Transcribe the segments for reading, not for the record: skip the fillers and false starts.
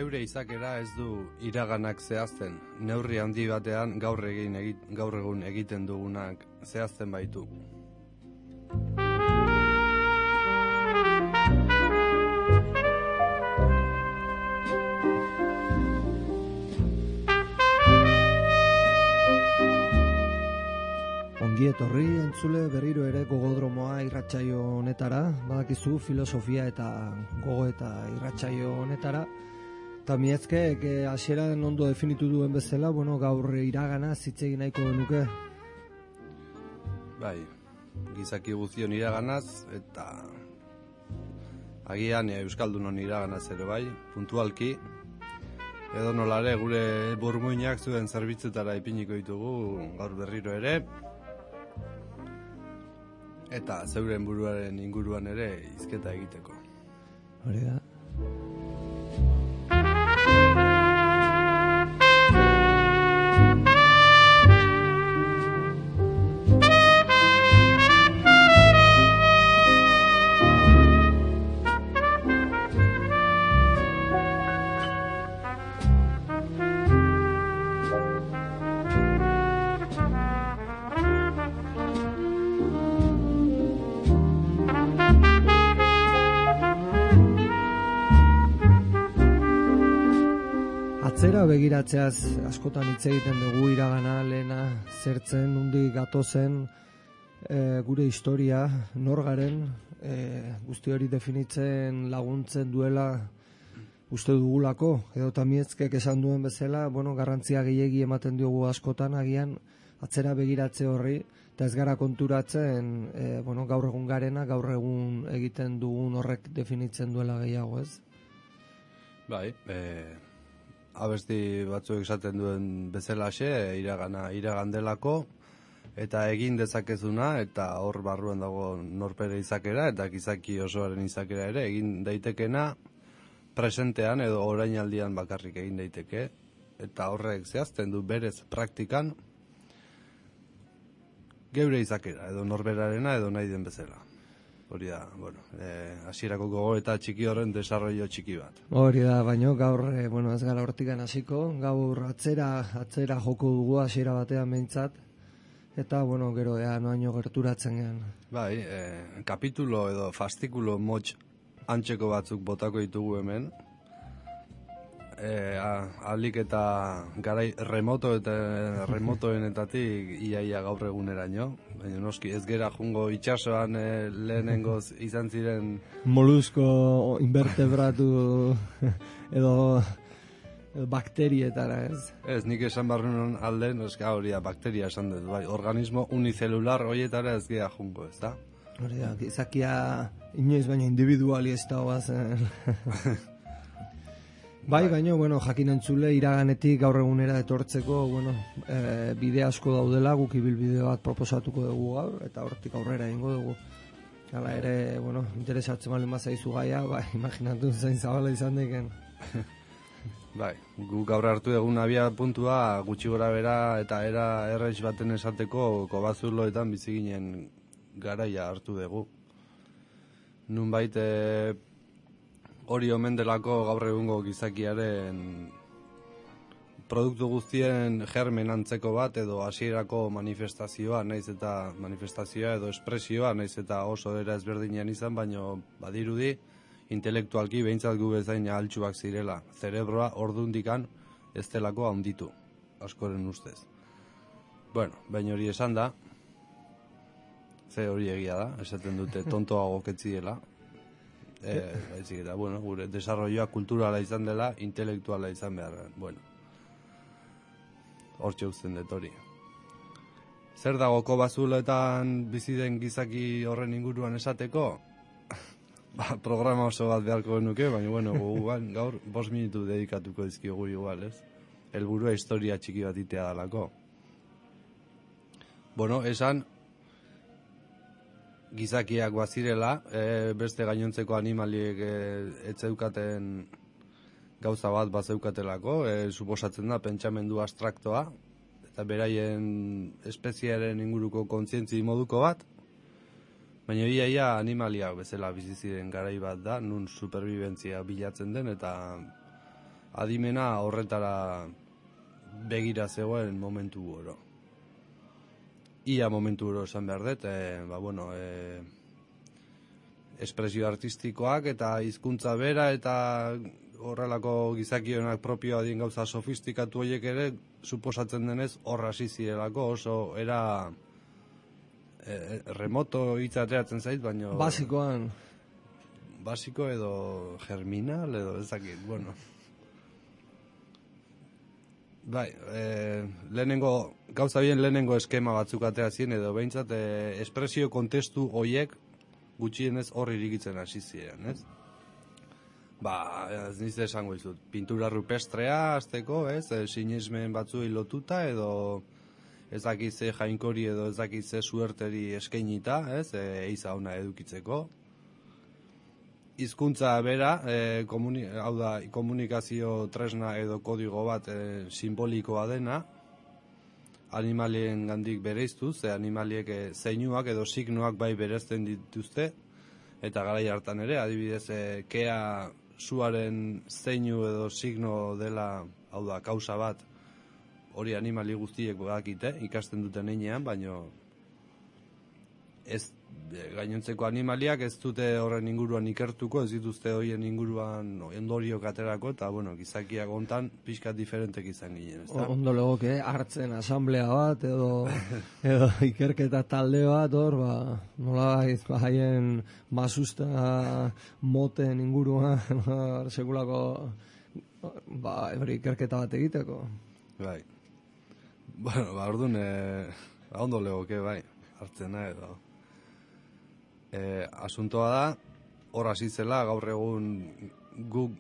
Geure izakera ez du iraganak zehazten, neurri handi batean gaur egun egiten dugunak zehazten baitu. Ongi etorri entzule berriro ere gogodromoa irratsaio honetara, badakizu filosofia eta gogoeta irratsaio honetara. Eta miezke, hasieran ondo definitu duen bezala, gaur iragana hitz egin nahiko genuke. Bai, gizaki guztion iraganaz, eta agian Euskaldunon iraganaz ere bai, puntualki, edo nolare gure burmuinak zuen zerbitzutara ipiniko ditugu gaur berriro ere, eta zeuren buruaren inguruan ere hizketa egiteko. Hori da. Atzera begiratzeaz askotan hitz egiten dugu iragana, lehena, zertzen, nondik gatozen, gure historia, nor garen, guzti hori definitzen laguntzen duela uste dugulako, edo tamietzkek esan duen bezala, garrantzia gehiegi ematen diogu askotan, agian atzera begiratze horri, eta ez gara konturatzen, gaur egun garena, gaur egun egiten dugun horrek definitzen duela gehiago, ez? Bai, abesti batzuek esaten duen bezalaxe, iragan delako, eta egin dezakezuna, eta hor barruan dago norpere izakera, eta gizaki osoaren izakera ere, egin daitekena presentean edo orainaldian bakarrik egin daiteke, eta horrek zehazten du berez praktikan geure izakera, edo norberarena edo nahi den bezala. Hori da, hasierako gogoeta txiki horren desarrollo txiki bat. Hori da, baina gaur, ez gara hortikan hasiko, gaur atzera joko dugu hasiera batean behintzat, eta, gero, noaino gerturatzen gehan. Bai, kapitulo edo fastikulo motx antzeko batzuk botako ditugu hemen, alik eta garai remotoenetatik iaia gaur eguneraino, baina noski ez gera jungo itxasoan lehenengoz izan ziren molusko invertebratu edo bakterietara, ez? Ez, nik esan barrunan alde, hori da, bakteria esan dut, bai, organismo unicelular horietara ez gera jungo, ez da? Hori da, izakia inoiz baina individuali ez da hoazen. Bai, baina, jakin entzule, iraganetik gaur egunera etortzeko, bide asko daudela, guk ibilbide bat proposatuko dugu gaur, eta hortik aurrera egingo dugu. Hala ere, interesatzen balen bazaizu gaia, imaginatu zain zabala izan deken. Bai, guk gaur hartu egun abia puntua, gutxi gora bera eta era errez baten esateko kobazuloetan biziginen garaia hartu dugu. Nunbait, hori omen delako gaur egungo gizakiaren produktu guztien germen antzeko bat edo hasierako manifestazioa, naiz eta manifestazioa edo espresioa, naiz eta oso era ezberdinean izan, baino badirudi intelektualki behintzat gu bezain ahaltsuak zirela. Zerebroa ordundikan ez delako handitu, askoren ustez. Baina hori esan da, ze hori egia da, esaten dute tontoago ketziela, baizik eta, gure desarrolloa kulturala izan dela, intelektuala izan behar. Hortxe uzten dut hori. Zer dago kobazuloetan bizi den gizaki horren inguruan esateko? Programa oso bat beharko genuke, baina gaur 5 minutu dedikatuko dizkiogu igual, ez? Helburua historia txiki bat itea dalako. Esan gizakiak bazirela, beste gainontzeko animaliek etzeukaten gauza bat bazeukatelako, suposatzen da pentsamendu abstraktoa, eta beraien espeziaren inguruko kontzientzi moduko bat, baina ia animaliak bezala bizi ziren garai bat da, nun superbibentzia bilatzen den, eta adimena horretara begira zegoen momentu oro. Ia momentu oro esan behar dut, espresio artistikoak eta hizkuntza bera eta horrelako gizakionak propioa dien gauza sofistikatu horiek ere, suposatzen denez horra hasi zirelako, oso era remoto hitza ateratzen zait, baina... Basiko edo germinal edo ezakit, bueno... Bai, gauza bien lehenengo eskema batzuk ateratzen edo behintzat espresio kontestu horiek gutxienez horri irikitzen hasi ziren, ez? Ez nizte esango izut, pintura rupestrea azteko, ez? Sinesmen batzuei lotuta edo ez dakitze jainkori edo ez dakitze suerteri eskainita, ez? Eiza ona edukitzeko. Hizkuntza bera, hau da, komunikazio tresna edo kodigo bat simbolikoa dena, animalien gandik bereiztuz, animaliek zeinuak edo signoak bai berezten dituzte, eta garai hartan ere, adibidez, kea suaren zeinu edo signo dela, hau da, kausa bat, hori animali guztiek badakite, ikasten duten heinean, baino ez gainontzeko animaliak ez dute horren inguruan ikertuko, ez dituzte horien inguruan ondoriok aterako, eta, gizakiak hontan pixkat diferentek izan ginen, ez da? Ondo legoke, hartzen asamblea bat, edo ikerketa talde bat, nola haien masusta moten inguruan, sekulako, ikerketa bat egiteko. Bai. Orduan, ondo legoke, bai, hartzena edo. Asuntoa da, hor hasi zela, gaur egun guk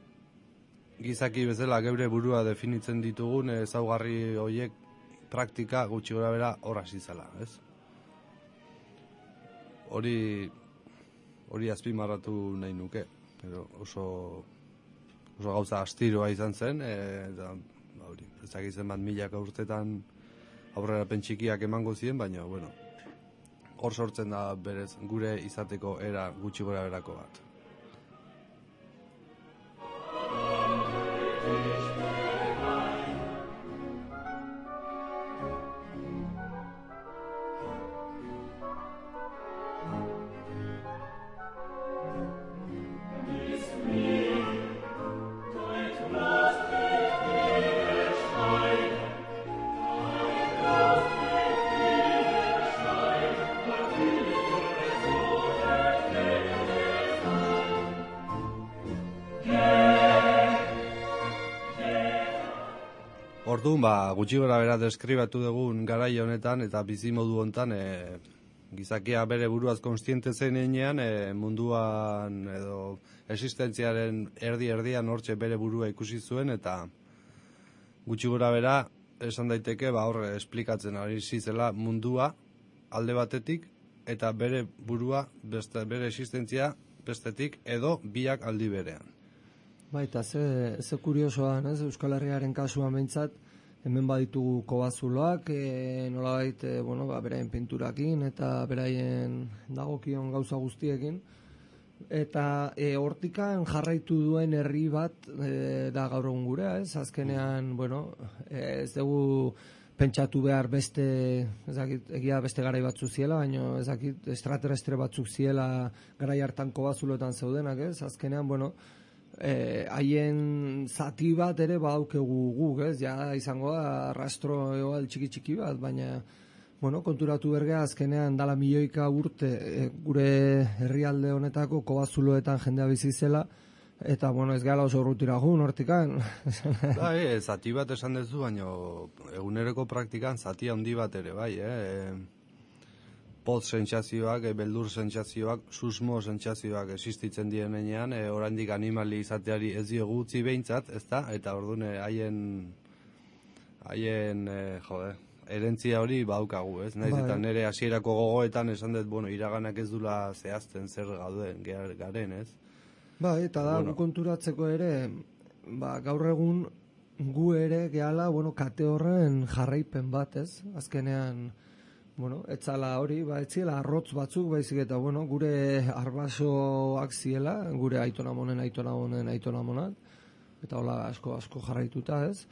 gizaki bezala geure burua definitzen ditugun ezaugarri horiek praktika gutxi gora bera hor hasi zela, ez? Hori azpimarratu nahi nuke, oso gauza astiroa izan zen, eta ezakitzen bat milaka urtetan aurrera pentsikiak emango ziren, baina, hor sortzen da berez gure izateko era gutxi gora berako bat. Orduan, gutxi gora bera deskribatu dugun garai honetan eta bizimodu honetan gizakia bere buruaz konstiente zen heinean munduan edo existentziaren erdi-erdian hortxe bere burua ikusi zuen eta gutxi gora bera esan daiteke hor esplikatzen ari zela mundua alde batetik eta bere burua bere existentzia bestetik edo biak aldi berean. Baita, ze kuriosoa, Euskal Herriaren kasuan behintzat, hemen baditugu kobazuloak, nolabait, beraien pinturakin eta beraien dagokion gauza guztiekin, eta hortikan jarraitu duen herri bat da gaur egun gurea, ez? Azkenean, ez dugu pentsatu behar egia beste garai batzuk ziela, baina ezakit extraterrestre batzuk ziela garai hartan kobazuloetan zeudenak, ez? Azkenean, haien zati bat ere badaukegu guk, ez? Ja izango da rastro egoal txiki bat, baina konturatu bergea azkenean dala milioika urte gure herrialde honetako kobazuloetan jendea bizi zela eta ez gala oso urrutira gun hortikan. Zati bat esan dezu, baina eguneroko praktikan zati handi bat ere, bai, pot sentsazioak, beldur sentsazioak, susmo sentsazioak existitzen direnean, oraindik animali izateari ez diogu utzi behintzat, ezta? Eta orduan haien erentzia hori baukagu, ez? Naiz eta nire hasierako gogoetan esan dut, iraganak ez dula zehazten zer garen, ez? Eta da, konturatzeko ere, gaur egun gu ere gehala, kate horren jarraipen bat, ez? Azkenean, etzala hori, etziela arrotz batzuk, baizik eta, gure arbasoak ziela, gure aitonamonen aitonamonak, eta hola asko jarraituta, ez?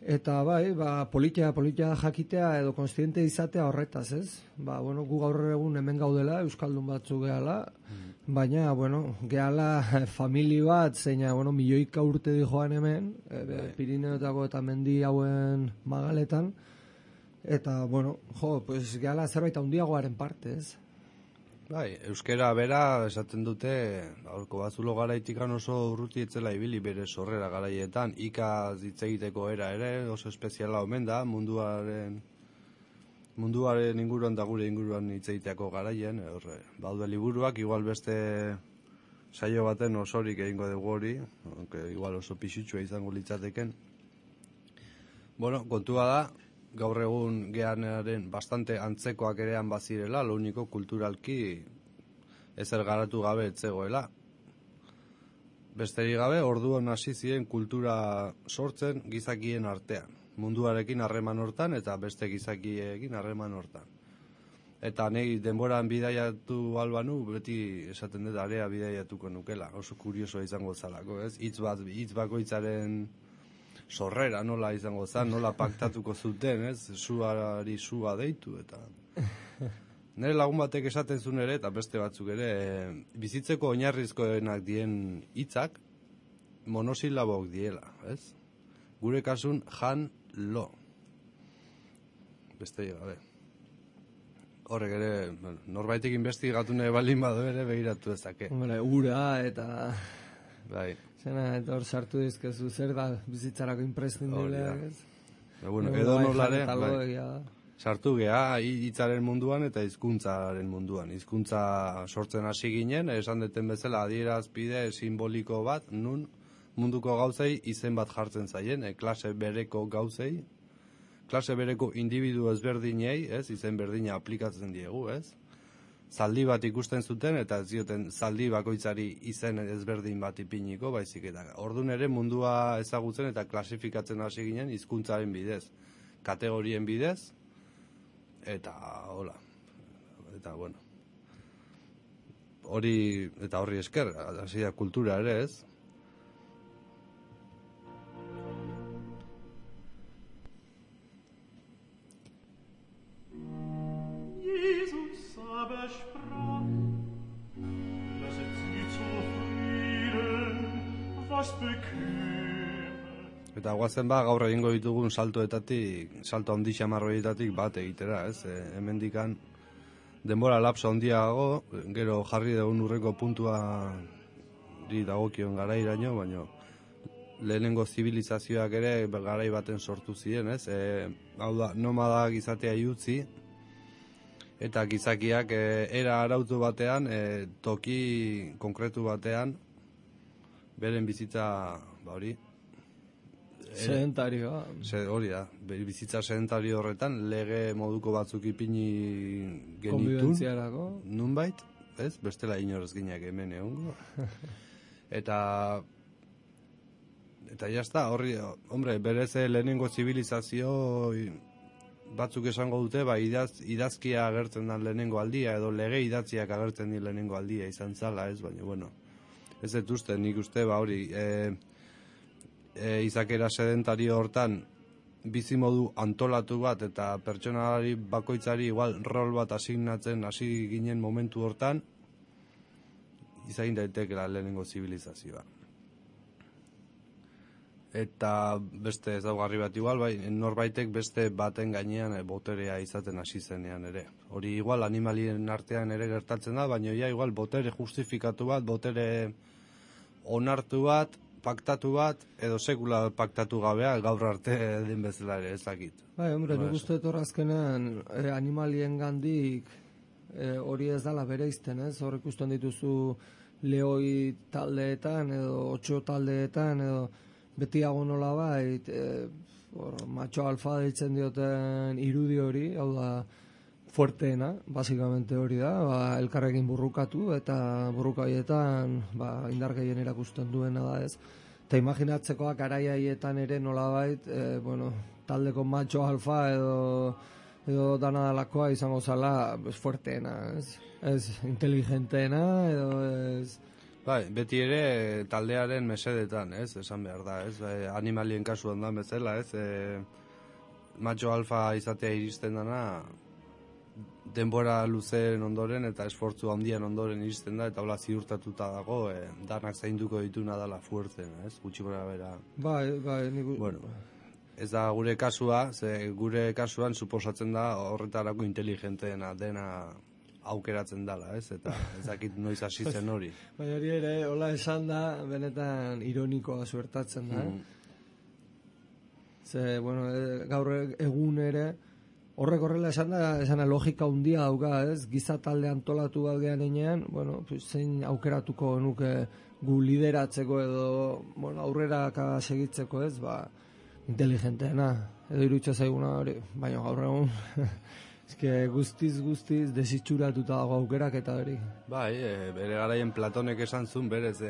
Eta bai, politia jakitea edo konstiente izatea horretaz, ez? Bueno, gu gaur egun hemen gaudela, euskaldun batzu gehala, baina, bueno, gehala famili bat, zeina, bueno, milioika urte di joan hemen, Pirineotako eta mendi hauen magaletan, eta, bueno, pues gehala zerbait handiagoaren parte, ez? Bai, euskera bera esaten dute, aurko bazulo garaitikan oso urruti etzela ibili bere sorrera garaietan, ikaz hitz egiteko era ere, oso espeziala omen da, munduaren inguruan da gure inguruan hitz egiteako garaien, baude liburuak, igual beste saio baten osorik egingo dugu hori, igual oso pixutxua izango litzateken. Bueno, kontua da, gaur egun geanaren bastante antzekoak erean bazirela, lo único kulturalki ezer garatu gabe etzegoela. Besterik gabe, orduan hasi ziren kultura sortzen gizakien artean. Munduarekin harreman hortan eta beste gizakiekin harreman hortan. Eta nahi denboran bidaiatu albanu, beti esaten dut area bidaiatuko nukela. Oso kuriosoa izango zalako, ez? Hitz bakoitzaren sorrera nola izango zen, nola paktatuko zuten, ez? Suari sua deitu, eta... Nire lagun batek esaten zuen ere, eta beste batzuk ere, bizitzeko oinarrizkoenak dien hitzak monosilabok diela, ez? Gure kasun, jan, lo. Beste gabe. Horrek ere, norbaitek investigatu nahi baldin badu ere begiratu ezake. Ura eta... Bai. Zena, eta hor sartu dizkezu, zer da bizitzarako imprescindiblea, ez? Bueno, edo nolare, sartu geha hitzaren munduan eta hizkuntzaren munduan. Hizkuntza sortzen hasi ginen, esan deten bezala adierazpide simboliko bat, nun munduko gauzei izen bat jartzen zaien, klase bereko gauzei, klase bereko individu ezberdinei, ez, izen berdina aplikatzen diegu, ez? Zaldi bat ikusten zuten eta ez zioten zaldi bakoitzari izen ezberdin bat ipiniko, baizik eta ordun ere mundua ezagutzen eta klasifikatzen hasi ginen hizkuntzaren bidez, kategorien bidez, eta hola, eta bueno, horri esker, hasi da kultura ere, ez? Eta guazen gaur egingo ditugun salto handi xamarroietatik bat egitera, ez? Hemendikan denbora lapso handiago, gero jarri dugun urreko puntua dagokion garairaino, baina lehenengo zibilizazioak ere garai baten sortu ziren, ez? Hau da, nomadak izatea utzi, eta gizakiak era arautu batean, toki konkretu batean, beren bizitza, hori, sedentarioa. Hori da, bizitza sedentario horretan, lege moduko batzuk ipini genitun. Konbibentziarako. Nunbait, ez? Bestela inorez gineak hemen egongo. Eta jazta, horri, hombre, berez lehenengo zibilizazio batzuk esango dute, idazkia agertzen da lehenengo aldia, edo lege idatziak agertzen di lehenengo aldia izan zala, ez? Baina, bueno, ez dut uste, nik uste, hori, izakera sedentario hortan bizimodu antolatu bat eta pertsonalari bakoitzari igual rol bat asignatzen hasi ginen momentu hortan izan daitekela lehenengo zibilizazioa. Eta beste ezaugarri bat igual, norbaitek beste baten gainean boterea izaten hasi zenean ere. Hori igual animalien artean ere gertatzen da, baina igual botere justifikatu bat, botere onartu bat, paktatu bat, edo sekula paktatu gabea, gaur arte den bezala ere ezakit. Hombre, nik uste azkenean animalien gandik hori ez dala bereizten, ez? Hor ikusten dituzu lehoi taldeetan, edo 8 taldeetan, edo betiago nola bait, macho alfa deitzen dioten irudi hori, hau da, fuerteena, basikamente hori da, elkarrekin burrukatu, eta burrukaietan indar gehien erakusten duena da, ez? Eta imaginatzekoak garaiaietan ere nolabait, taldeko macho alfa edo dana dalakoa izango zala fuerteena, ez? Ez inteligenteena, edo ez Bai, beti ere taldearen mesedetan, ez, esan behar da, ez, animalien kasuan da bezala, ez, macho alfa izatea iristen dana, denbora luzeen ondoren eta esfortzu handian ondoren iristen da, eta hola ziurtatuta dago, danak zainduko dituna dala fuerten, ez, gutxi gora bera. Bai, Bueno, ez da gure kasua, ze gure kasuan suposatzen da horretarako inteligenteena dena aukeratzen dala, ez? Eta ez dakit noiz hasi zen hori. Baina hori ere, hola esan da, benetan ironikoa suertatzen da. Ze, bueno, gaur egun ere, horrek horrela esan da logika handia dauka, ez? Giza talde antolatu bat gehan enean, bueno, zein aukeratuko nuke gu lideratzeko edo, bueno, aurrera segitzeko, ez? Ba, inteligenteena, edo irutxa zaiguna hori, baina gaur egun... Eske guztiz desitxuratuta dago aukerak eta hori. Bai, bere garaien Platonek esan zuen, berez,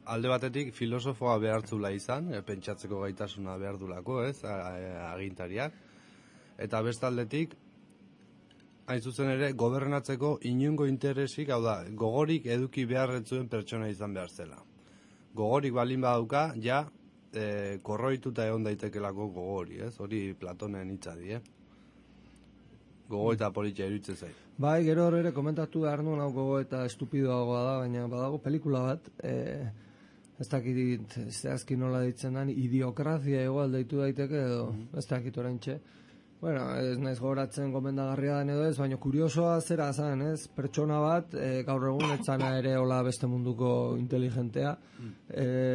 alde batetik filosofoa behartzula izan, pentsatzeko gaitasuna behar dulako, ez, agintariak. Eta bestaldetik, hain zuzen ere, gobernatzeko inungo interesik, hau da, gogorik eduki beharretzuen pertsona izan behar zela. Gogorik balin badauka, ja, korroituta egon daitekelako gogori, ez, hori Platonen hitzadi, gogo eta politia iruditzen zait. Bai, gero ere komentatu behar nuen hau gogo eta estupidoagoa da, baina badago pelikula bat, ez dakit zehazki nola ditzen da, idiokrazia igual deitu daiteke edo, ez dakit oraintxe. Bueno, ez naiz gogoratzen gomendagarria den edo ez, baina kuriosoa zera zen, ez? Pertsona bat, gaur egun etzana ere hola beste munduko inteligentea,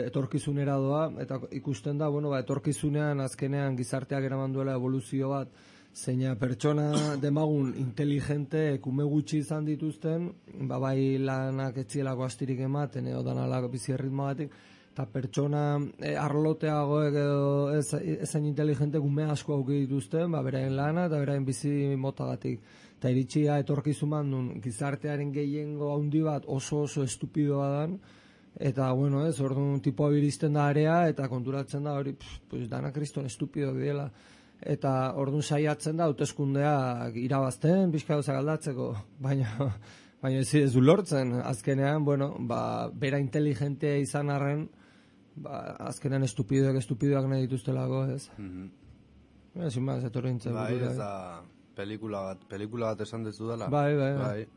etorkizunera doa, eta ikusten da, bueno, etorkizunean azkenean gizarteak eraman duela evoluzio bat, zeina pertsona demagun inteligente kume gutxi izan dituzten, bai lanak etzielako astirik ematen edo danalako bizi erritmoagatik, eta pertsona arloteagoek edo ezain inteligente kume asko auki dituzten, beraien lana eta beraien bizi motagatik. Eta iritsia etorkizun bandun gizartearen gehiengo handi bat oso estupidoa dan, eta bueno, ez, orduan tipoa biristen da area eta konturatzen da hori, pues dana kriston estupidoak diela. Eta orduan saiatzen da hauteskundeak irabazten, pixka gauzak aldatzeko, baina ez du lortzen. Azkenean, bueno, bera inteligentea izan arren, azkenean estupidoak nahi dituztelako, ez? Ezin maz, etorri nintzen. Bai, ez da pelikula bat esan dezu dela. Bai.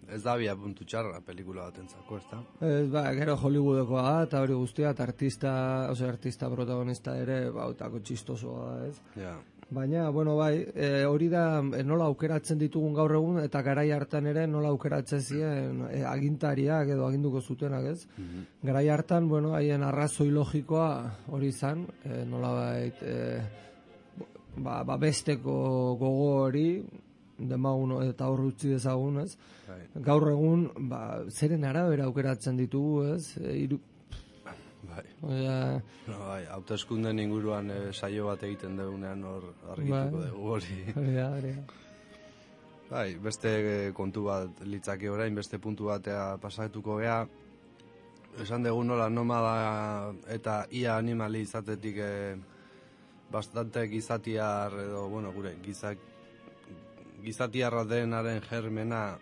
Ez da bia puntu txarra pelikula bat entzako, ez da? Gero Hollywoodekoa da, eta hori guztia, eta artista protagonista ere, otako txistosoa da, ez? Ja. Baina, bueno, bai, hori da nola aukeratzen ditugun gaur egun, eta garai hartan ere nola aukeratzen ziren agintariak edo aginduko zutenak, ez? Garai hartan, bueno, haien arrazoi logikoa hori izan, nola besteko gogo hori, demagun eta hor utzi dezagun, ez? Gaur egun, zeren arabera aukeratzen ditugu, ez? Bai, hauteskunden inguruan saio bat egiten dugunean hor argituko dugu hori. Bai, beste kontu bat litzake orain, beste puntu batea pasatuko gea, esan dugu nola nomada eta ia animali izatetik bastante gizatiar edo, bueno, gure gizatiarra denaren germena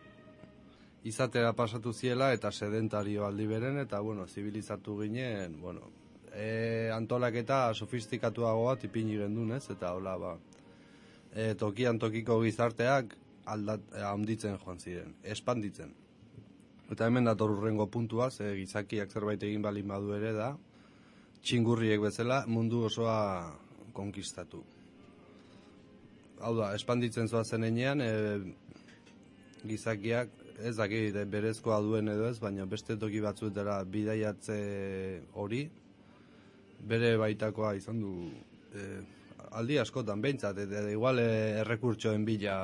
izatera pasatu ziela eta sedentario aldi beren eta, bueno, zibilizatu ginen, bueno, antolaketa sofistikatuago bat ipini gendun, ez? Eta hola, tokian tokiko gizarteak handitzen joan ziren, espanditzen. Eta hemen dator urrengo puntua, gizakiak zerbait egin balin badu ere da, txingurriek bezala mundu osoa konkistatu. Hau da, espanditzen zoazen enean, gizakiak ez dakit berezkoa duen edo ez, baina beste toki batzuetara bidaiatze hori, bere baitakoa izan du aldi askotan behintzat, eta igual errekurtsoen bila...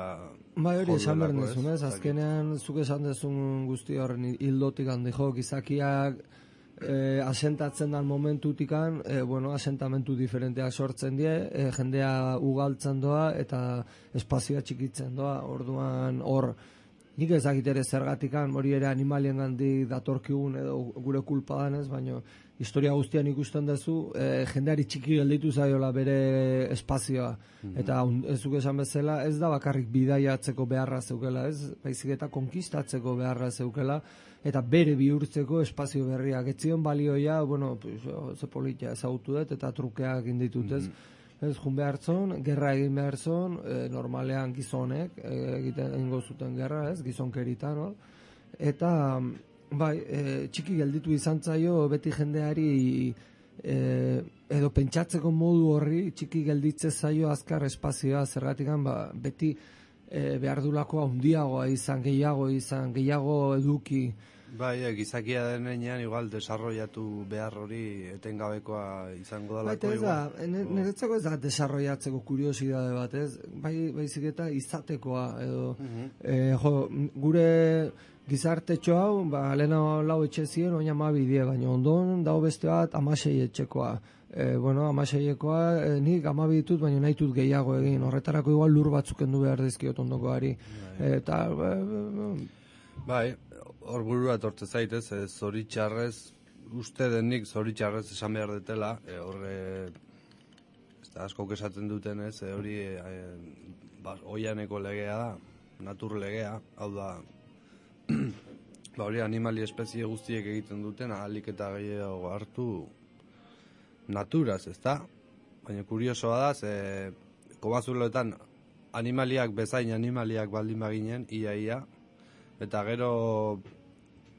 Bai, hori esan behar nizun, ez? Azkenean, zuk esan dezun guzti horren hildotik handi jo, gizakiak asentatzen dan momentutikan, asentamentu diferenteak sortzen die, jendea ugaltzen doa eta espazioa txikitzen doa, orduan hor nik ezagit ere zergatikan, hori ere animalien gandik datorkigun edo gure kulpa danez, baina historia guztian ikusten duzu, jendeari txiki gelditu zaiola bere espazioa. Eta ez duk esan bezala, ez da bakarrik bidaiatzeko beharra zeukela, ez? Baizik eta konkistatzeko beharra zeukela, eta bere bihurtzeko espazio berriak. Etzion balioia, bueno, ze politia ezagutu dut, eta trukeak inditut, ez? Ez, jun behar zon, gerra egin behar zon, normalean gizonek egiten egingo zuten gerra, ez, gizonkerita, no? Eta, bai, txiki gelditu izan zaio beti jendeari edo pentsatzeko modu horri txiki gelditze zaio azkar espazioa, zergatikan, beti behar dulako handiagoa izan, gehiago eduki. Bai, gizakia denean igual desarrollatu behar hori etengabekoa izango dalako igual. Niretzako ez da desarrollatzeko kuriosidade bat, ez? Baizik eta izatekoa, edo gure gizartetxo hau, lehena lau etxe ziren, oina ma bidie, baina ondon dago beste bat 16 etxekoa. 16ekoa nik 12 ditut, baina nahi dut gehiago egin. Horretarako igual lur batzuk endu behar dizkiot ondokoari. Eta, bai, hor burua etortze zaitez, zoritxarrez, uste denik zoritxarrez esan behar detela, horre, askok esaten duten ez, hori oianeko legea da, natur legea, hau da, hori animali espezie guztiek egiten duten, ahalik eta gehiago hartu naturaz, ez da? Baina kuriosoa da, kobazuloetan animaliak bezain animaliak baldin baginen, ia, eta gero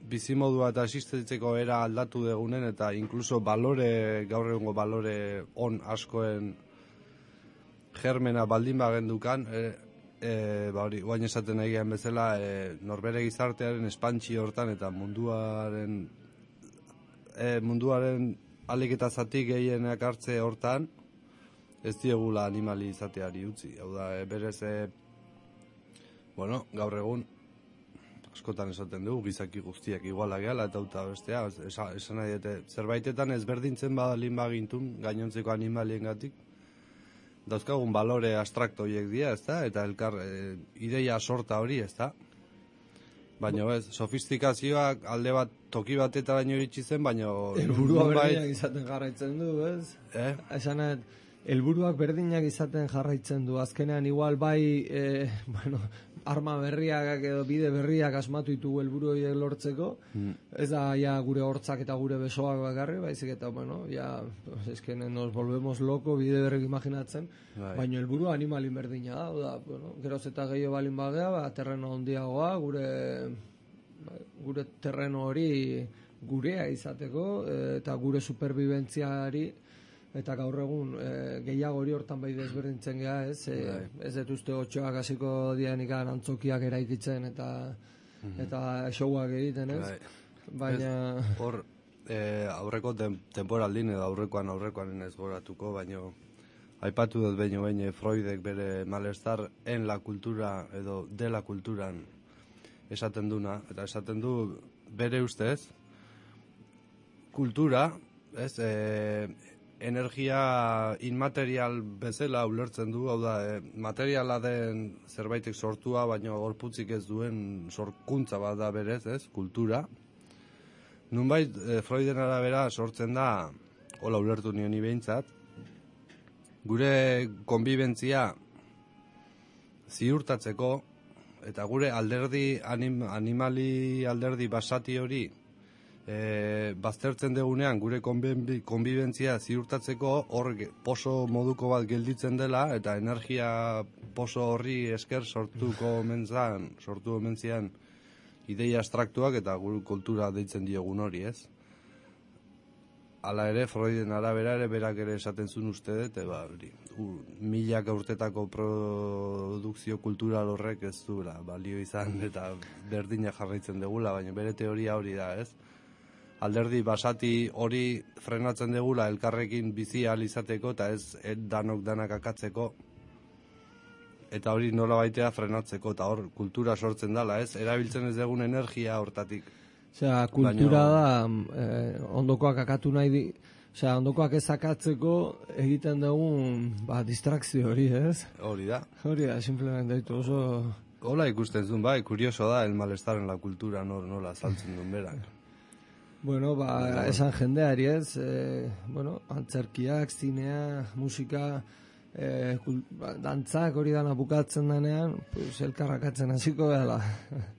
bizimodua eta existitzeko era aldatu degunen, eta inkluso balore, gaur egungo balore on askoen germena baldin bagendukan, guain esaten egian bezala, norbere gizartearen espantxi hortan eta munduaren alik eta zatik gehienak hartze hortan, ez diegula animali izateari utzi. Hau da, berez, gaur egun, askotan esaten dugu, gizaki guztiak iguala gehala eta uta bestea, esan nahi dute, zerbaitetan ezberdintzen badalin bagintun, gainontzeko animalien gatik, dauzkagun balore abstrakto horiek dira, ez da, eta elkar ideia sorta hori, ez da. Baina ez, sofistikazioak alde bat toki batetaraino iritsi zen, baina... Helburua berdinak izaten jarraitzen du, ez? Esanet, helburuak berdinak izaten jarraitzen du. Azkenean igual bai, arma berriak edo bide berriak asmatu ditugu helburu horiek lortzeko. Ez da ja gure hortzak eta gure besoak bakarri, baizik eta, eskenen nos volvemos loko bide berrik imaginatzen, baina helburu animalin berdina da, geroz eta gehiago balin bagea, terreno handiagoa, gure terreno hori gurea izateko, eta gure superbibentziari, eta gaur egun gehiago hori hortan bai desberdintzen geha, ez? Ez dut uste otxoak hasiko dianik antzokiak eraikitzen eta showak egiten, ez? Baina... Hor, aurreko temporaldin edo aurrekoan ez goratuko, baina aipatu dut behin Freudek bere malestar en la kultura edo de la kulturan esaten duna, eta esaten du bere ustez kultura, ez, energia inmaterial bezala ulertzen du, hau da, materiala den zerbaitek sortua, baina gorputzik ez duen sorkuntza bat da berez, ez, kultura. Nunbait, Freuden arabera sortzen da, hola ulertu nioni behintzat, gure konbibentzia ziurtatzeko, eta gure alderdi, animali alderdi basati hori, baztertzen degunean gure konbibentzia ziurtatzeko hor poso moduko bat gelditzen dela eta energia poso horri esker sortu omentzian ideia abstraktuak eta gure kultura deitzen diogun hori, ez? Hala ere, Freuden arabera ere berak ere esaten zuen uste dut, milaka urtetako produkzio kultural horrek ez duela balio izan eta berdina jarraitzen degula, baina bere teoria hori da, ez? Alderdi basati hori frenatzen degula elkarrekin bizi ahal izateko eta ez danak akatzeko eta hori nola baitea frenatzeko eta hor kultura sortzen dela, ez? Erabiltzen ez dugun energia hortatik. Osea, kultura da ondokoak akatu nahi di, osea, ondokoak ez akatzeko egiten dugun distrakzio hori, ez? Hori da. Hori da, simplemente ditu oso... Hola ikusten zuen, bai, kurioso da, el malestar en la cultura nola saltzen duen berak. Bueno, esan jendeari ez, antzerkiak, zinea, musika, dantzak hori dana bukatzen denean, pues, elkarrakatzen hasiko dela.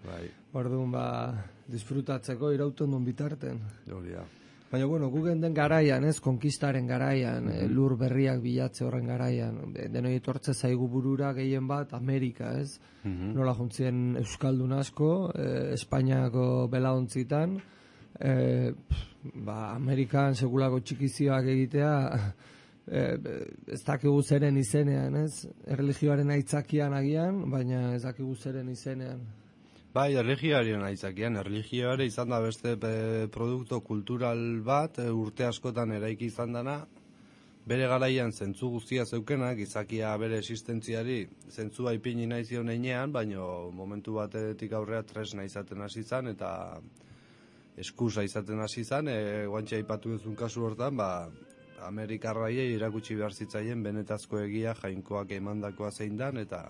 Bai. Orduan, disfrutatzeko irauten duen bitarten. Hori da. Baina, gugen den garaian, ez, konkistaren garaian, lur berriak bilatze horren garaian, denoi etortze zaigu burura gehien bat Amerika, ez? Nola juntzien Euskaldun asko, Espainiako belaontzitan, Amerikan sekulako txikizioak egitea, ez dakigu zeren izenean, ez? Erlijioaren aitzakian agian, baina ez dakigu zeren izenean. Bai, erlijioaren aitzakian, erlijioare izan da beste produkto kultural bat, urte askotan eraiki izan dana, bere garaian zentzu guztia zeukenak, izakia bere existentziari zentzua ipini nahi zion einean, baina momentu batetik aurrea tresna izaten hasi zan, eta eskusa izaten hasi zan, guantxe aipatu duzun kasu hortan, Amerikarraiei irakutsi behar zitzaien benetazko egia jainkoak emandakoa zein dan, eta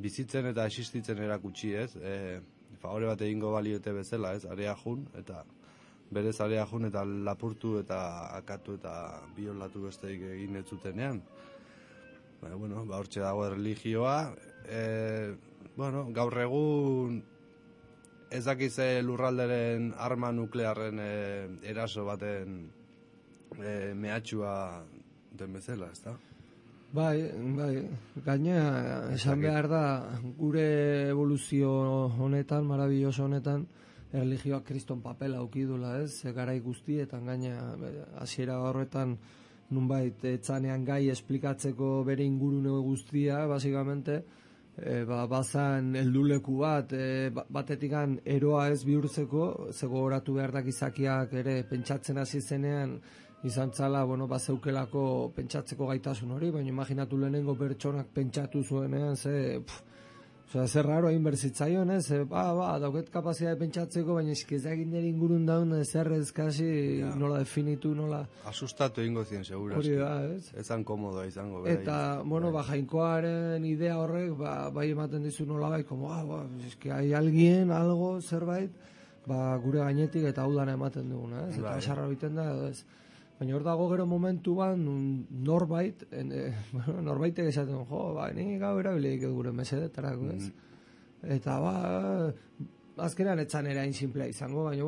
bizitzen eta existitzen erakutsi, ez? Favore bat egingo baliote bezala, ez? Area jun, eta berez area jun eta lapurtu eta akatu eta biolatu besteik egin ez zutenean. Hortxe dago erlijioa. Gaur egun ez dakize lurralderen arma nuklearren eraso baten mehatxua den bezala, ez da? Bai, gaina esan behar da gure evoluzio honetan, marabilloso honetan, erlijioak kriston papela aukidula, ez? Garai guztietan gaina hasiera horretan nunbait etzanean gai esplikatzeko bere ingurune guztia, basikamente, bazan helduleku batetikan eroa ez bihurtzeko, gogoratu behar da gizakiak ere pentsatzen hasi zenean, izan zala, bazeukelako pentsatzeko gaitasun hori, baina imaginatu lehenengo pertsonak pentsatu zuenean, zer raro egin berzitzaion, ez? Dauket kapazitatea pentsatzeko, baina eskizagin nire ingurun daun, zer ezkasi nola definitu, nola... Asustatu egingo zien, segura. Hori da, ez? Ezan komodoa izango. Eta, jainkoaren idea horrek, bai ematen dizu nola bai, eski hai alguien, algo, zerbait, gure gainetik eta hau dana ematen duguna, ez? Eta esarra biten da, ez? Baina hor dago gero momentuan norbaitek esaten, ni gau erabilik gure mesedetarako, ez? Eta azkenean etzan erain simplea izango, baina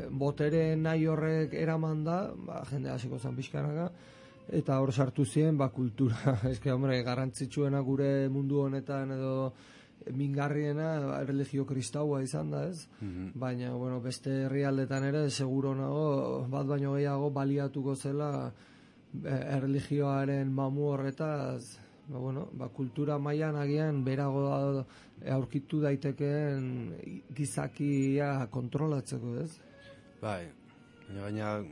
botere nahi horrek eraman da, jende hasiko zan pixkanaka, eta hor sartu ziren, kultura, garrantzitsuena gure mundu honetan edo mingarriena erlijio kristaua izan da, ez? Baina, beste herrialdetan ere seguro nago, bat baino gehiago baliatuko zela erlijioaren mamu horretaz, kultura mailan agian berago aurkitu daitekeen gizakia kontrolatzeko, ez? Bai, baina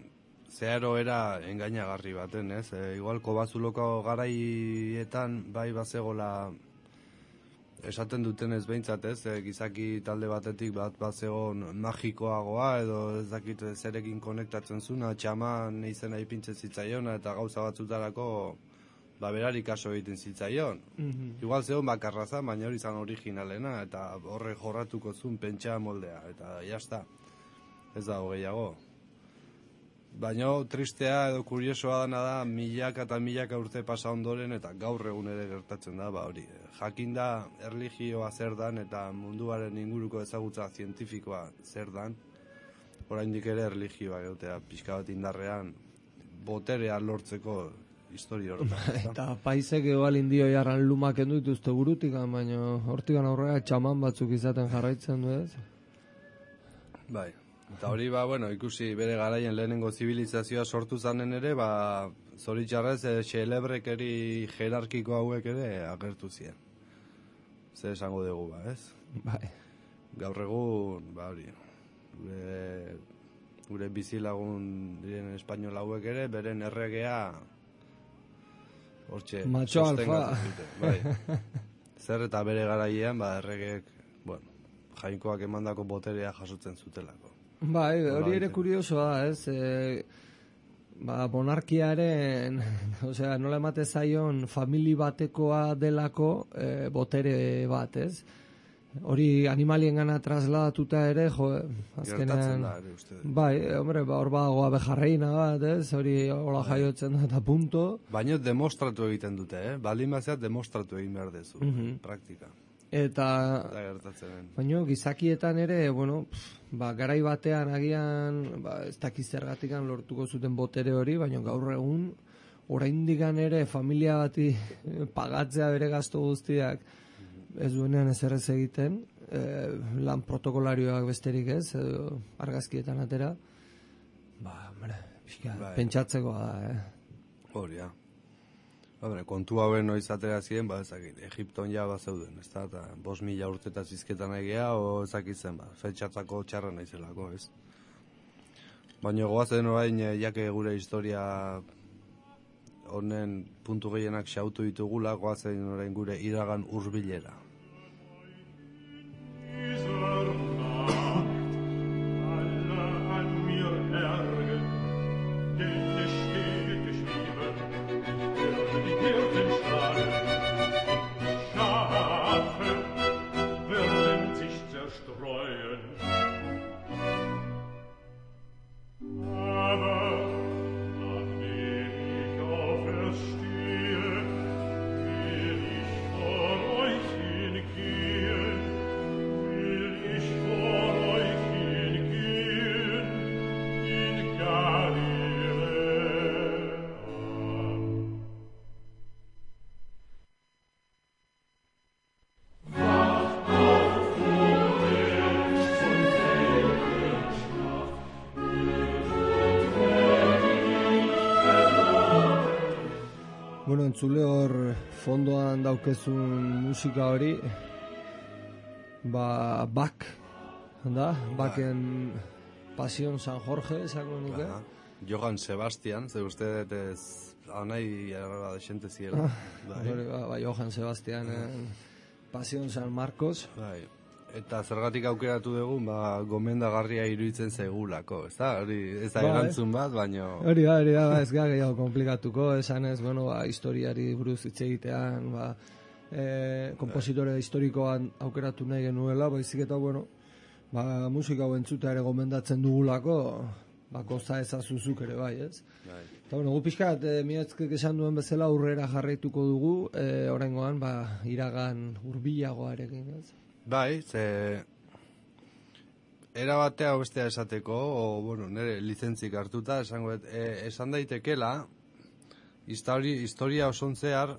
zeharo era engainagarri baten, ez? Igual Kobazuloko garaietan bai bazegola esaten duten ez behintzat, ez? Gizaki talde batetik bat zegoen magikoagoa edo ez dakit zerekin konektatzen zuna, txaman izena ipintzen zitzaiona eta gauza batzutarako berari kaso egiten zitzaion. Igual zegoen bakarraza, baina hori izan originalena eta horre jorratuko zuen pentsa moldea eta jazta. Ez dago gehiago. Baina tristea edo kuriosoa dana da milaka eta milaka urte pasa ondoren eta gaur egun ere gertatzen da, hori. Jakin da erlijioa zer dan eta munduaren inguruko ezagutza zientifikoa zer dan, oraindik ere erlijioa egotea pixka bat indarrean boterea lortzeko historia horretan. Eta paisek egoal indio jarran lumak endu dituzte burutik, baina hortikan aurrera txaman batzuk izaten jarraitzen du, ez? Bai. Eta hori, ikusi bere garaien lehenengo zibilizazioa sortu zanen ere, zoritxarrez, xelebrekeri jerarkiko hauek ere agertu ziren. Zer esango dugu, ez? Bai. Gaur egun, hori, gure bizilagun diren espainola hauek ere, beren erregea hortxe macho alfa. Bai. Zer eta bere garaian, erregeek, jainkoak emandako boterea jasotzen zutelako. Bai, hori ere kuriosoa da, ez? Monarkiaren, nola emate zaion famili batekoa delako botere bat, ez? hori animalien gana trasladatuta ere, jo, Gertatzen azkenean... da, ere, uste. Bai, hombre, hor badago abejarreina bat, ez? Hori hola jaiotzen da eta punto. Baina demostratu egiten dute, baldin bazeat demostratu egin behar dezu, praktika. Eta, Da gertatzen den. baina gizakietan ere, bueno, garai batean agian, ez dakiz zergatikan lortuko zuten botere hori, baina gaur egun, oraindikan ere familia bati pagatzea bere gastu guztiak, ez duenean ezerrez egiten, lan protokolarioak besterik ez, edo argazkietan atera, hombre, pentsatzekoa da, Hori, ja. Hombre, kontu hauen noiz atera ziren, ezakit, Egipton ja bazeuden, ez da, eta 5.000 urtetaz izketan egia, o ezakit zen, fetxatzako txarra naizelako, ez? Baina goazen orain, jake gure historia honen puntu gehienak xautu ditugula, goazen orain gure iragan hurbilera. Bueno, entzule hor fondoan daukezun musika hori, Bach, da? Bachen Pasión San Jorge, esango nuke. Johann Sebastian, ze uste ez anai errara desente ziela. Johann Sebastian, Pasión San Marcos. Bai. Eta zergatik aukeratu dugun, gomendagarria iruditzen zaigulako, ez da? Hori ez da erantzun bat, baino... Hori da, ez gara gehiago komplikatuko, esan ez, historiari buruz hitz egitean, kompositore historikoan aukeratu nahi genuela, baizik eta, musika hau entzuta ere gomendatzen dugulako, kosta ezazuzuk ere bai, ez? Eta, gu pixkat, Mietzkek esan duen bezala aurrera jarraituko dugu, oraingoan, iragan hurbilagoarekin, ez? Bai, era batea bestea esateko, nire lizentzik hartuta, esan daitekela, historia oson zehar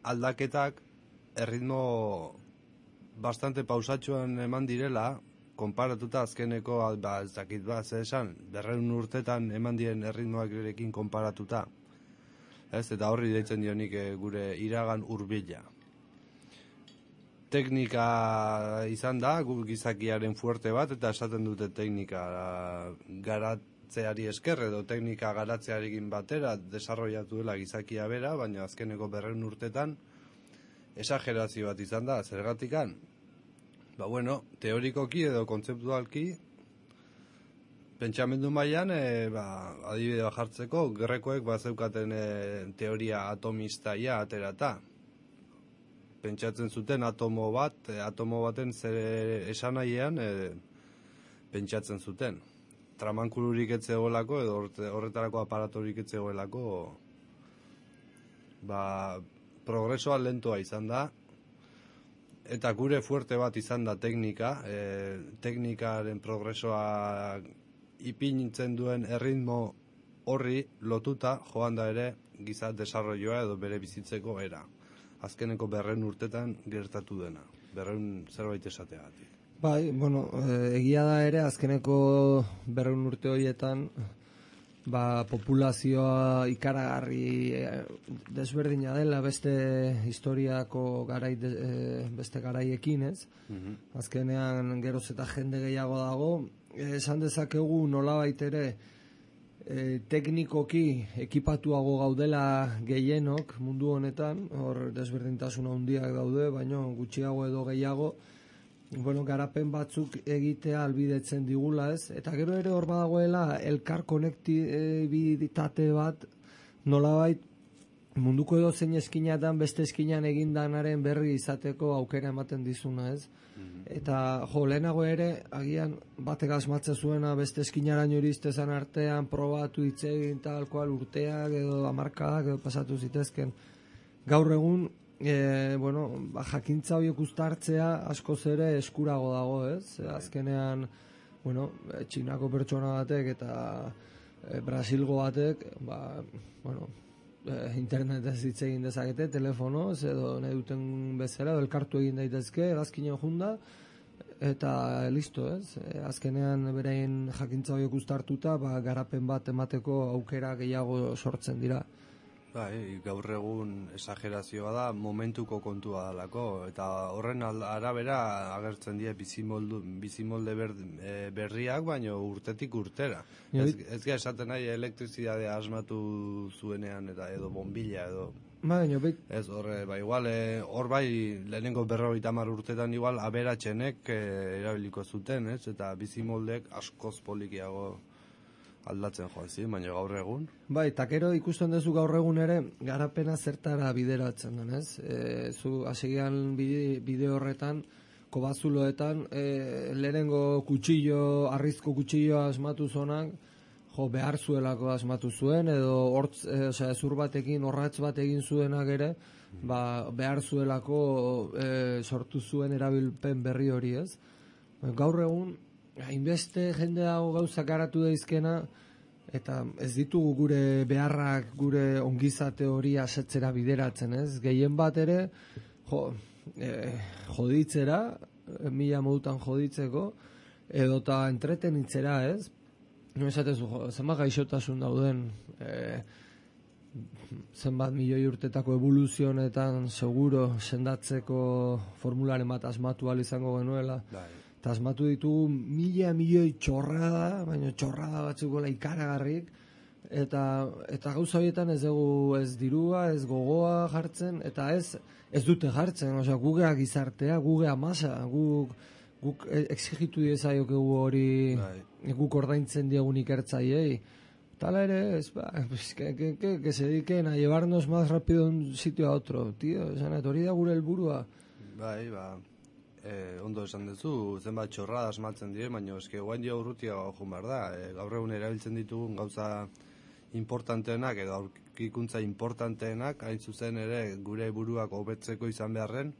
aldaketak erritmo bastante pausatxoan eman direla, konparatuta azkeneko, ez dakit esan, 200 urtetan eman diren erritmoak erekin konparatuta. Eta horri deitzen dionik gure iragan hurbila. Teknika izan da, gizakiaren fuerte bat, eta esaten dute teknika garatzeari esker, edo teknika garatzearekin batera desarrollatu dela gizakia bera, baina azkeneko 200 urtetan esagerazio bat izan da, zergatikan. Teorikoki edo kontzeptualki, pentsamendu mailan, adibide jartzeko, grekoek bazeukaten teoria atomistaia aterata. Pentsatzen zuten atomo baten zer esanaian pentsatzen zuten. Tramankulurik etzegoelako edo horretarako aparatorik etzegoelako progresoa lentoa izan da, eta gure fuerte bat izan da teknika, teknikaren progresoa ipintzen duen erritmo horri lotuta joan da ere giza desarrolloa edo bere bizitzeko era. Azkeneko 200 urtetan gertatu dena, 200 zerbait esateagatik. Bai, egia da ere azkeneko 200 urte horietan populazioa ikaragarri desberdina dela beste historiako beste garaiekin, ez? Azkenean geroz eta jende gehiago dago, esan dezakegu nolabait ere teknikoki ekipatuago gaudela gehienok mundu honetan, hor desberdintasun handiak daude, baina gutxiago edo gehiago, garapen batzuk egitea albidetzen digula, ez? Eta gero ere hor badagoela elkar konektibitate bat nolabait munduko edo zein eskinatan beste eskinan egindanaren berri izateko aukera ematen dizuna, ez? Eta lehenago ere, agian batek asmatzen zuena beste eskinaraino iristezan artean probatu itzegin tal kual urteak edo hamarkadak edo pasatu zitezken. Gaur egun, jakintza horiek uztartzea askoz ere eskurago dago, ez? Azkenean, Txinako pertsona batek eta Brasilgo batek, internetez hitz egin dezakete, telefonoz, edo nahi duten bezala, edo elkartu egin daitezke, hegazkinen junda, eta listo, ez? Azkenean berein jakintza horiek uztartuta, garapen bat emateko aukera gehiago sortzen dira. Gaur egun esagerazioa da momentuko kontua dalako, eta horren arabera agertzen dira bizimolde berriak, baina urtetik urtera. Ez gara esaten nahi elektrizidadea asmatu zuenean eta edo bombilla edo... Ez horre, igual, hor lehenengo 50 urtetan igual aberatxenek erabiliko zuten, ez? Eta bizimoldek askoz polikiago aldatzen joan baina gaur egun. Eta gero ikusten duzu gaur egun ere, garapena zertara bideratzen den, ez? Zu hasian bideo horretan, kobazuloetan, lehenengo arrizko kutsilloa asmatu zonak, behar zuelako asmatu zuen, edo ezur batekin, orratz bat egin zuenak ere, behar zuelako sortu zuen erabilpen berri hori, ez? Gaur egun, hainbeste jende dago gauzak garatu daizkena, eta ez ditugu gure beharrak, gure ongizate hori asetzera bideratzen, ez? Gehien bat ere, joditzera, mila modutan joditzeko, edota entretenitzera, ez? No esatezu, zenbat gaixotasun dauden, zenbat milioi urtetako evoluzionetan seguro sendatzeko formularen bat asmatu ahal izango genuela. Eta asmatu ditugu milioi txorrada, baina txorrada batzuko ikaragarrik, eta gauza horietan ez dugu ez dirua, ez gogoa jartzen, eta ez dute jartzen, gugea gizartea, gugea masa, guk exigitu diezaiokegu hori, guk ordaintzen diegun ikertzaiei. Tala ere, que se dediquen a llevarnos más rápido de un sitio a otro, tío, hori da gure helburua. Ondo esan duzu, zenbat txorrada asmatzen dire, baina eske guain jo urrutia joan behar da. Gaur egun erabiltzen ditugun gauza importanteenak edo aurkikuntza importanteenak, hain zuzen ere gure buruak hobetzeko izan beharren,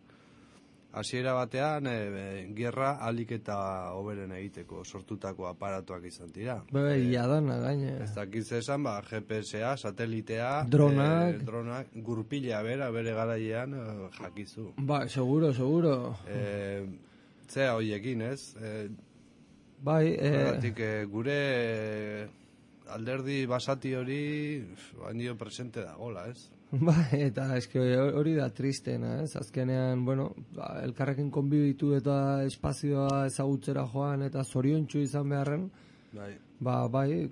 hasiera batean gerra ahalik eta hoberen egiteko sortutako aparatuak izan dira. Iadana gaine. Ez dakiz esan, GPS-a, satelitea, dronak, gurpila bere garailean jakizu. Seguro. Zea horiekin, ez? Gure alderdi basati hori baino presente dagoela, ez? Eta eske hori da tristena, ez? Azkenean, elkarrekin konbibitu eta espazioa ezagutzera joan eta zoriontsu izan beharren,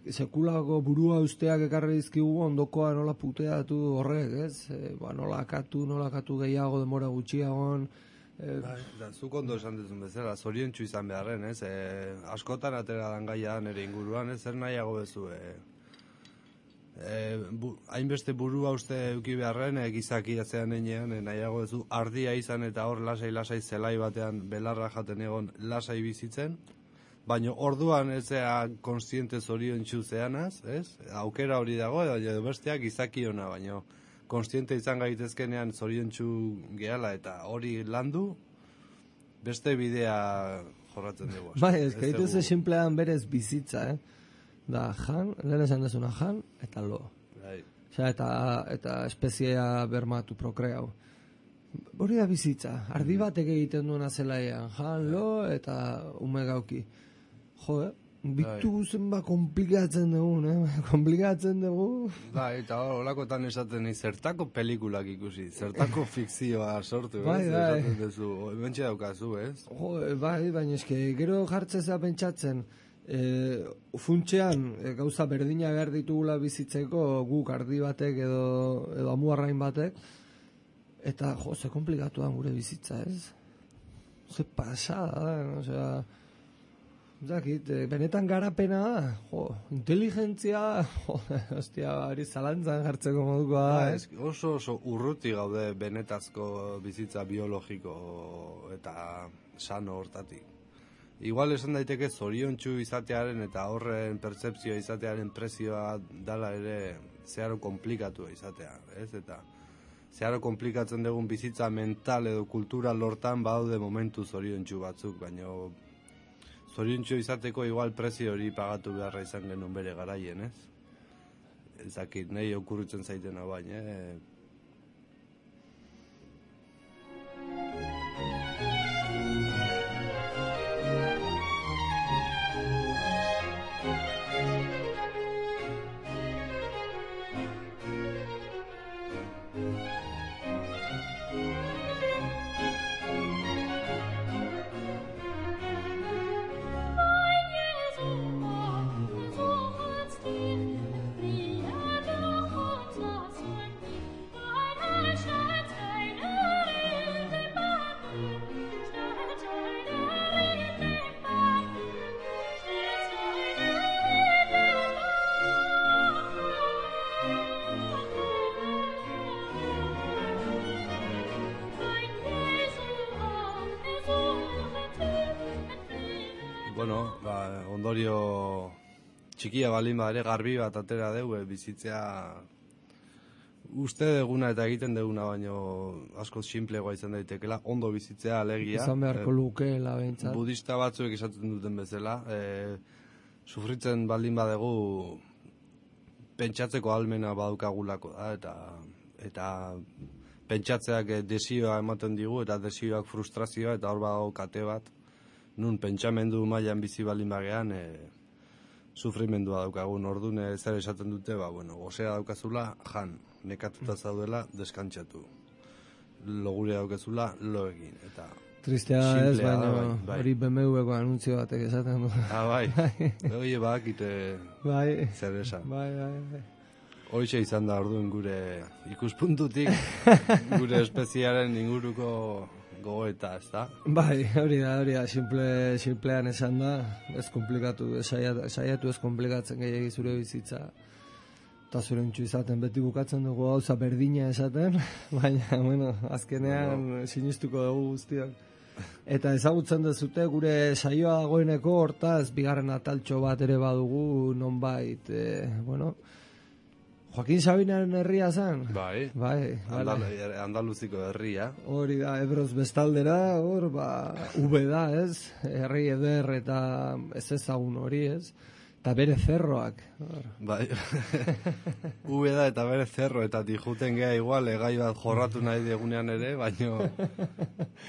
sekulako burua usteak ekarri dizkigu ondokoa nola puteatu horrek, ez? Nola akatu gehiago denbora gutxiagon. Zuk ondo esan duzun bezala, zoriontsu izan beharren, ez? Askotan atera dan gaia nire inguruan, ez? Zer nahiago bezu, hainbeste burua uste euki beharren, gizaki atzean enean, nahiago bezu ardia izan eta hor lasai zelai batean belarra jaten egon lasai bizitzen, baina orduan ez zea konstiente zoriontsu zeanaz, ez? Aukera hori dago, edo besteak gizaki ona, baina konstiente izan gaitezkenean zoriontsu gehala eta hori landu, beste bidea jorratzen dugu. Ez gaituz simplean berez bizitza, da lehen esan dezuna eta lo. Eta espeziea bermatu, prokreau. Hori da bizitza, ardi batek egiten duena zelaian, lo eta ume gauki. Bitu zenba komplikatzen dugu, eta holakotan esaten zertako pelikulak ikusi, zertako fikzioa sortu, esaten duzu, bentsi daukazu, ez? Baina eske, gero jartzea pentsatzen, funtsean gauza berdina behar ditugula bizitzeko guk ardi batek edo amuarrain batek, eta ze komplikatuan gure bizitza, ez? Ze pasada, zakit, benetan garapena, inteligentzia, hostia, hori zalantzan jartzeko modukoa. Oso urruti gaude benetazko bizitza biologiko eta sano hortatik. Igual esan daiteke zoriontsu izatearen eta horren pertzepzioa izatearen prezioa dala ere zeharo komplikatua izatea, ez? Eta zeharo komplikatzen dugun bizitza mental edo kultural hortan badaude momentu zoriontsu batzuk, baina zoriontsu izateko igual prezio hori pagatu beharra izan genuen bere garaien, ez? Ezakit, nahi okurritzen zaitena baina, ondorio txikia balin ere garbi bat atera dugu bizitzea uste deguna eta egiten deguna baino asko sinplegoa izan daitekela, ondo bizitzea alegia. Izan beharko lukeela behintzat. Budista batzuek esaten duten bezala, sufritzen baldin badegu pentsatzeko ahalmena badukagulako da, eta pentsatzeak desioa ematen digu, eta desioak frustrazioa, eta hor badago kate bat, nun pentsamendu mailan bizi baldin bagean, sufrimendua daukagun ordun zer esaten dute, gozea daukazula, jan, nekatuta zaudela, deskantzatu. Logure daukezula, lo egin, eta... Tristea ez, baina hori BMW-ko anuntzio batek esaten du. Bai, hori bakite zer esan. Bai. Hoxe izan da orduan gure ikuspuntutik, gure espeziaren inguruko gogoeta, ez da? Bai, hori da, simplean esan da, ez komplikatu, saiatu ez komplikatzen gehiagi zure bizitza. Eta zorentzu izaten beti bukatzen dugu gauza berdina esaten, baina, azkenean sinistuko dugu guztiak. Eta ezagutzen dezute gure saioa dagoeneko hortaz, bigarren ataltxo bat ere badugu, nonbait, Joaquin Sabinaren herria zen? Bai. Andaluziko herria. Hori da, Ebroz bestaldera, hor, V da, ez? Herri eder eta ez ezagun hori, ez? Eta bere zerroak. Bai. V da eta bere zerro, eta dijuten geha igual, gai bat jorratu nahi diegunean ere, baino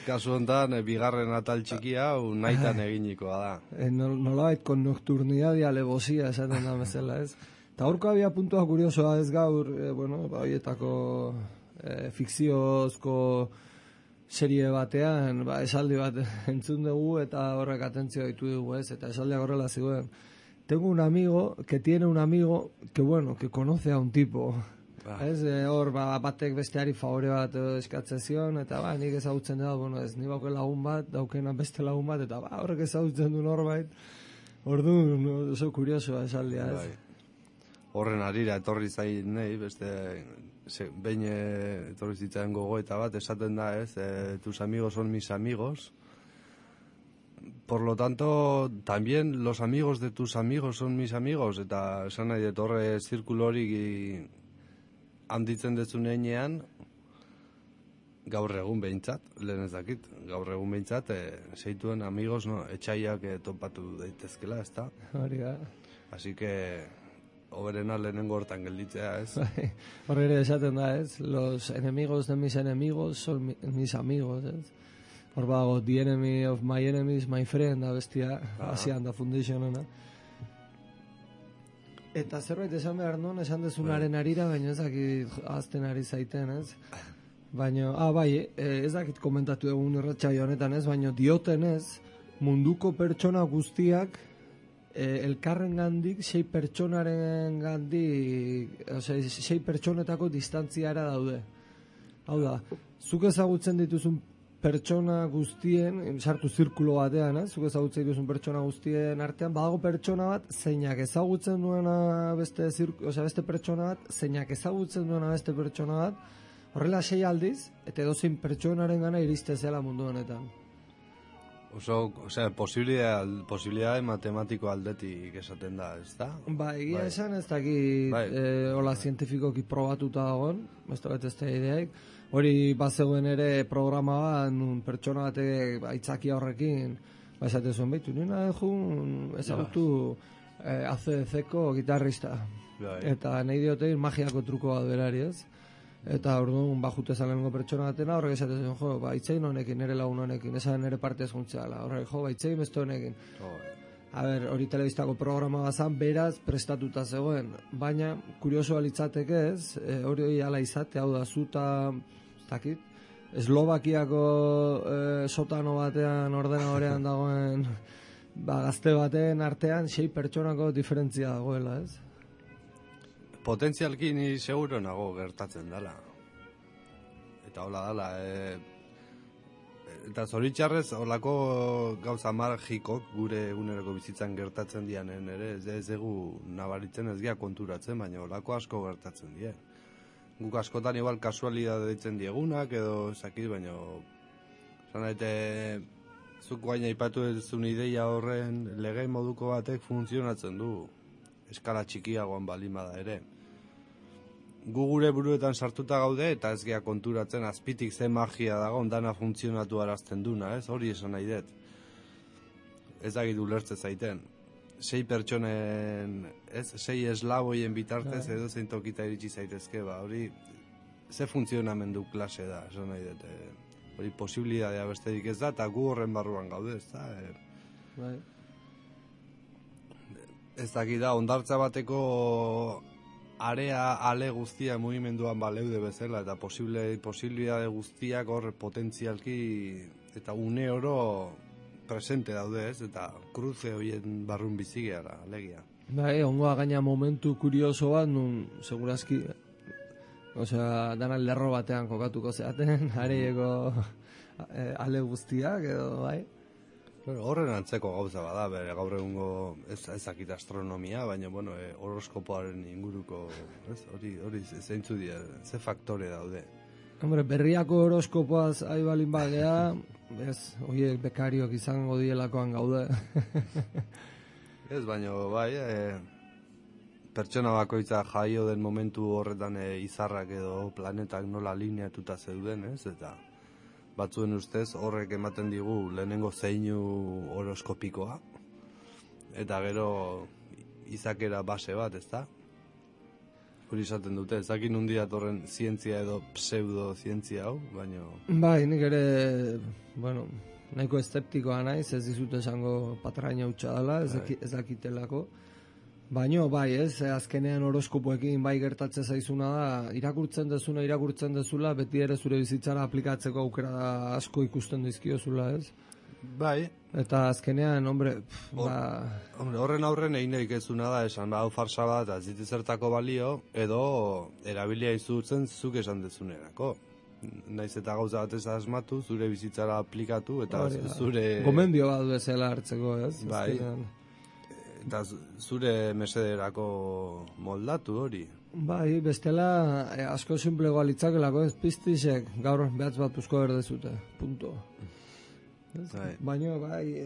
kasu honetan, bigarren atal txikia, nahitan eginikoa da. Nolabait, con nocturnidad y alevosía, esaten da bezala, ez? Eta horko abia puntua kuriosoa ez gaur, horietako fikziozko serie batean, esaldi bat entzun dugu eta horrek atentzio ditu dugu, ez? Eta esaldiak horrela ziguen. Tengo un amigo que tiene un amigo que conoce a un tipo. Ez, hor, batek besteari favore bat eskatzen zion, eta nik ezagutzen da, ez, ni bauke lagun bat, daukena beste lagun bat, eta horrek ezagutzen du norbait. Orduan, oso kuriosoa esaldia, ez? Horren arira etorri zain nahi, beste behin etorri zitzaren gogoeta bat, esaten da, ez, tus amigos son mis amigos. Por lo tanto, también los amigos de tus amigos son mis amigos, eta esan nahi etorre zirkulo hori handitzen dezunean, gaur egun behintzat, lehen ez dakit, gaur egun behintzat, zeituen amigos, etxaiak topatu daitezkela, ez da? Hori da. Así que... Oberena lehenengo hortan gelditzea, ez? Horre ere esaten da, ez? Los enemigos de mis enemigos son mis amigos, ez? Hor bago, the enemy of my enemies, my friend, da bestia, hasian da foundationena. Eta zerbait esan behar non, esan dezunaren arira, baina ezakit azten ari zaiten, ez? Baina, ez dakit komentatu egun irratsaio honetan, ez? Baina dioten ez, munduko pertsona guztiak elkarren gandik, 6 pertsonaren gandik, 6 pertsonetako distantziara daude. Hau da, zuk ezagutzen dituzun pertsona guztien, sartu zirkulo batean, zuk ezagutzen duzun pertsona guztien artean, badago pertsona bat, zeinak ezagutzen duena beste pertsona bat, zeinak ezagutzen duena beste pertsona bat, horrela 6 aldiz, eta edozein pertsonaren gana iriste zela mundu honetan. Posibilidade matematiko aldetik esaten da, ez da? Egia esan ez dakit hola zientifikoki probatuta dagoen, ez da ideaik. Hori bazegoen ere programa bat, nun pertsona batek aitzakia horrekin, esate zuen behitu, nina ezagutu ACDC-ko gitarrista. Eta nahi diotein magiako truko bat berari, ez? Eta orduan bajute zalengo pertsona batena, horrek esaten zuen, itzein honekin, nire lagun honekin, esan nire partez juntzeala, horrek, itzein beste honekin. Hori telebistako programa bazan, beraz prestatuta zegoen, baina kuriosoa litzateke ez, hori ala izate, hau da, zuta, takit, Eslovakiako sotano batean, ordenadorean dagoen, gazte baten artean, 6 pertsonako diferentzia dagoela, ez? Potentzialki ni seguro nago gertatzen dela. Eta hola dela. Eta zoritxarrez, holako gauza magikok gure eguneroko bizitzan gertatzen dianen ere, ez egu nabaritzen ez gea konturatzen, baina holako asko gertatzen die. Guk askotan igual kasualidade ditzen diegunak, edo zakit, baina zuk guain aipatu ezun ideia horren lege moduko batek funtzionatzen du eskala txikiagoan balimada ere. Gu gure buruetan sartuta gaude eta ez gea konturatzen azpitik ze magia dago ondana funtzionatu arazten duna, ez? Hori esan nahi dut. Ez dakit ulertze zaiten. 6 pertsonen, 6 eslaboien bitartez edo zein tokita iritsi zaitezke, hori ze funtzionamendu klase da, esan nahi dut. Hori posibilidadea besterik ez da, eta gu horren barruan gaude, ez da? Ez dakit da, ondartza bateko ale guztia mugimenduan baleude bezala, eta posibilidade guztiak hor potentzialki eta une oro presente daude, ez? Eta kruze horien barrun bizi gehala, alegia. Ongoa gaina momentu kurioso bat, nun segurazki, dana lerro batean kokatuko zeaten, areieko ale guztiak, edo, bai? Horren antzeko gauza bada, bere gaur egungo ezakit astronomia, baina, horoskopoaren inguruko, hori zeintzu dira, ze faktore daude. Berriako horoskopoaz aibalin bagea, horiek bekariok izango dielakoan gaude. Ez, baina, pertsona bakoitza jaio den momentu horretan izarrak edo planetak nola lineatuta zeuden, ez, eta batzuen ustez horrek ematen digu lehenengo zeinu horoskopikoa eta gero izakera base bat, ezta? Hori izaten dute, ezakin nundi datorren zientzia edo pseudo-zientzia hau, baina... Nik ere, nahiko eszeptikoa naiz, ez dizut esango patraina hutsa dela, ez dakitelako. Baina, azkenean horoskopoekin gertatzen zaizuna da, irakurtzen dezula, beti ere zure bizitzara aplikatzeko aukera asko ikusten dizkiozula, ez? Eta azkenean, horren aurren egin egikezuna da, esan, hau farsa bat, aziti zertako balio, edo erabilia izutzen zuk esan dezunerako. Naiz eta gauza bat ez asmatu, zure bizitzara aplikatu, eta zure... Gomendio bat bezala hartzeko, ez? Eta zure mesederako moldatu hori. Bestela asko simplegoa litzakelako, ez piztisek gaur behatz bat puzko berdezute, punto. Baina,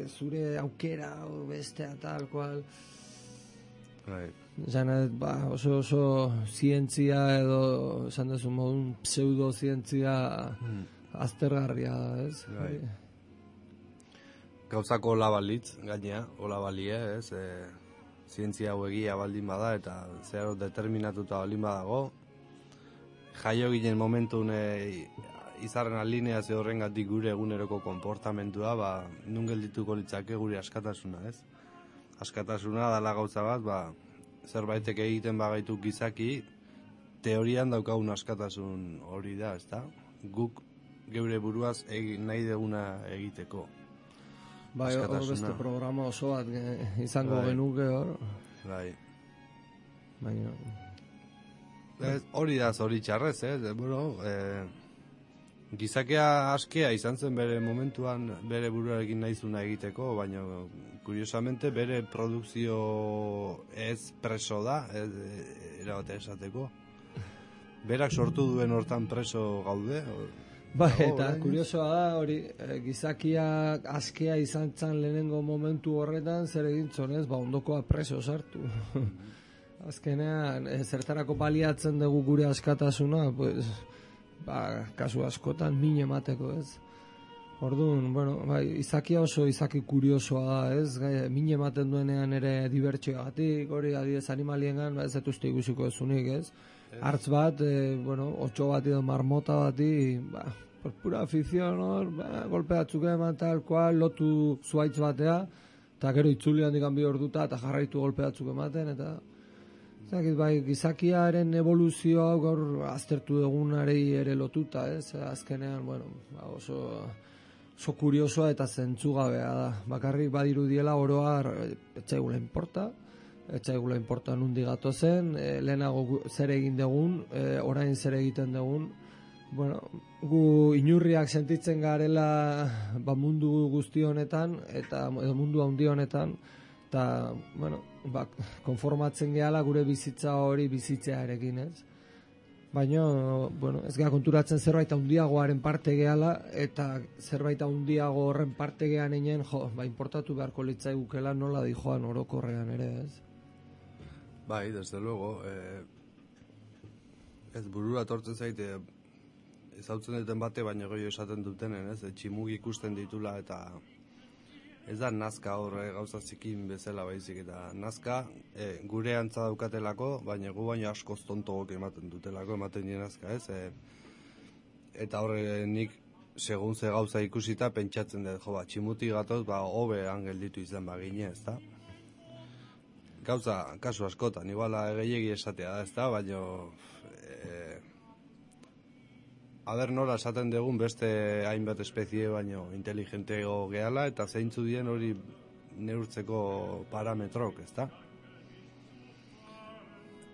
zure aukera bestea tal cual. Oso zientzia edo, esan dezu modun, pseudo-zientzia aztergarria da, ez? Gauzako hola balitz, gainea, hola balie, ez? Zientzia hau egia baldin bada eta zeharo determinatuta baldin badago. Jaio ginen momentun izarren alineazio horrengatik gure eguneroko konportamentua, nun geldituko litzake gure askatasuna, ez? Askatasuna dala gauza bat, zerbaitek egiten bagaitu gizaki, teorian daukagun askatasun hori da, ez da? Guk geure buruaz nahi deguna egiteko. Hor beste programa oso bat izango genuke hor. Hori da zoritxarrez, Gizakia askea izan zen bere momentuan bere buruarekin nahizuna egiteko, baina kuriosamente bere produkzio ez preso da, erabate esateko. Berak sortu duen hortan preso gaude. Eta kuriosoa da, hori, gizakia askea izan zan lehenengo momentu horretan, zer egintzon ez, ondokoa preso sartu. Azkenean, zertarako baliatzen dugu gure askatasuna, pues, kasu askotan min emateko, ez. Orduan, izakia oso izaki kuriosoa da, ez, min ematen duenean ere dibertsioagatik, hori adidez animaliengan, ez etuzte ikusiko ezunik, ez. Hartz bat, otxo bat edo marmota bati, por pura afizion, golpeatzuk eman tal cual, lotu zuaitz batea, eta gero itzuli handik bi orduta, eta jarraitu golpeatzuk ematen, eta gizakiaren evoluzioa gaur aztertu dugunari ere lotuta, ez? Azkenean, oso kuriosoa eta zentzugabea da. Bakarrik badirudiela oroar etxaigula importa nundi gatozen, lehenago zer egin dugun, orain zer egiten dugun. Gu inurriak sentitzen garela mundu guzti honetan, eta mundu handi honetan, eta, konformatzen gehala gure bizitza hori bizitzearekin, ez? Baina, ez gara konturatzen zerbait handiagoaren parte gehala, eta zerbait handiago horren parte gehan einen, importatu beharko litzaigukela nola dijoan orokorrean ere, ez? Bai, desde luego, ez burura tortzen zaite, ezautzen duten bate, baina goio esaten dutenen, ez? Tximug ikusten ditula, eta ez da nazka horre gauza zikin bezala baizik, eta nazka gure antza daukatelako, baina gu baino askoz tontogok ematen dutelako, ematen dien nazka, ez? Eta horre nik segun ze gauza ikusita pentsatzen dut, tximuti gatoz, hobe gelditu izan bagine, ez da? Gauza, kasu askotan, iguala gehiegi esatea da, ez da, baina nola esaten dugun beste hainbat espezie baino inteligentego gehala, eta zeintzu dien hori neurtzeko parametrok, ez da?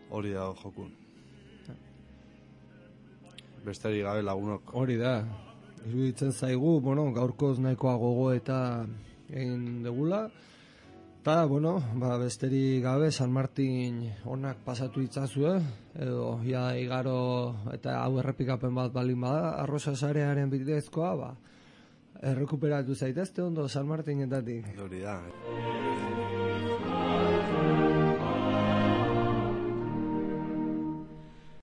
Hori da jokun. Besterik gabe lagunok. Hori da. Iruditzen zaigu, gaurkoz nahikoa gogo eta egin degula. Eta, besterik gabe, San Martin onak pasatu itzazue, edo igaro eta hau errepikapen bat balin bada, arroza sarearen bidezkoa, errekuperatu zaitezte ondo San Martinetatik. Hori da.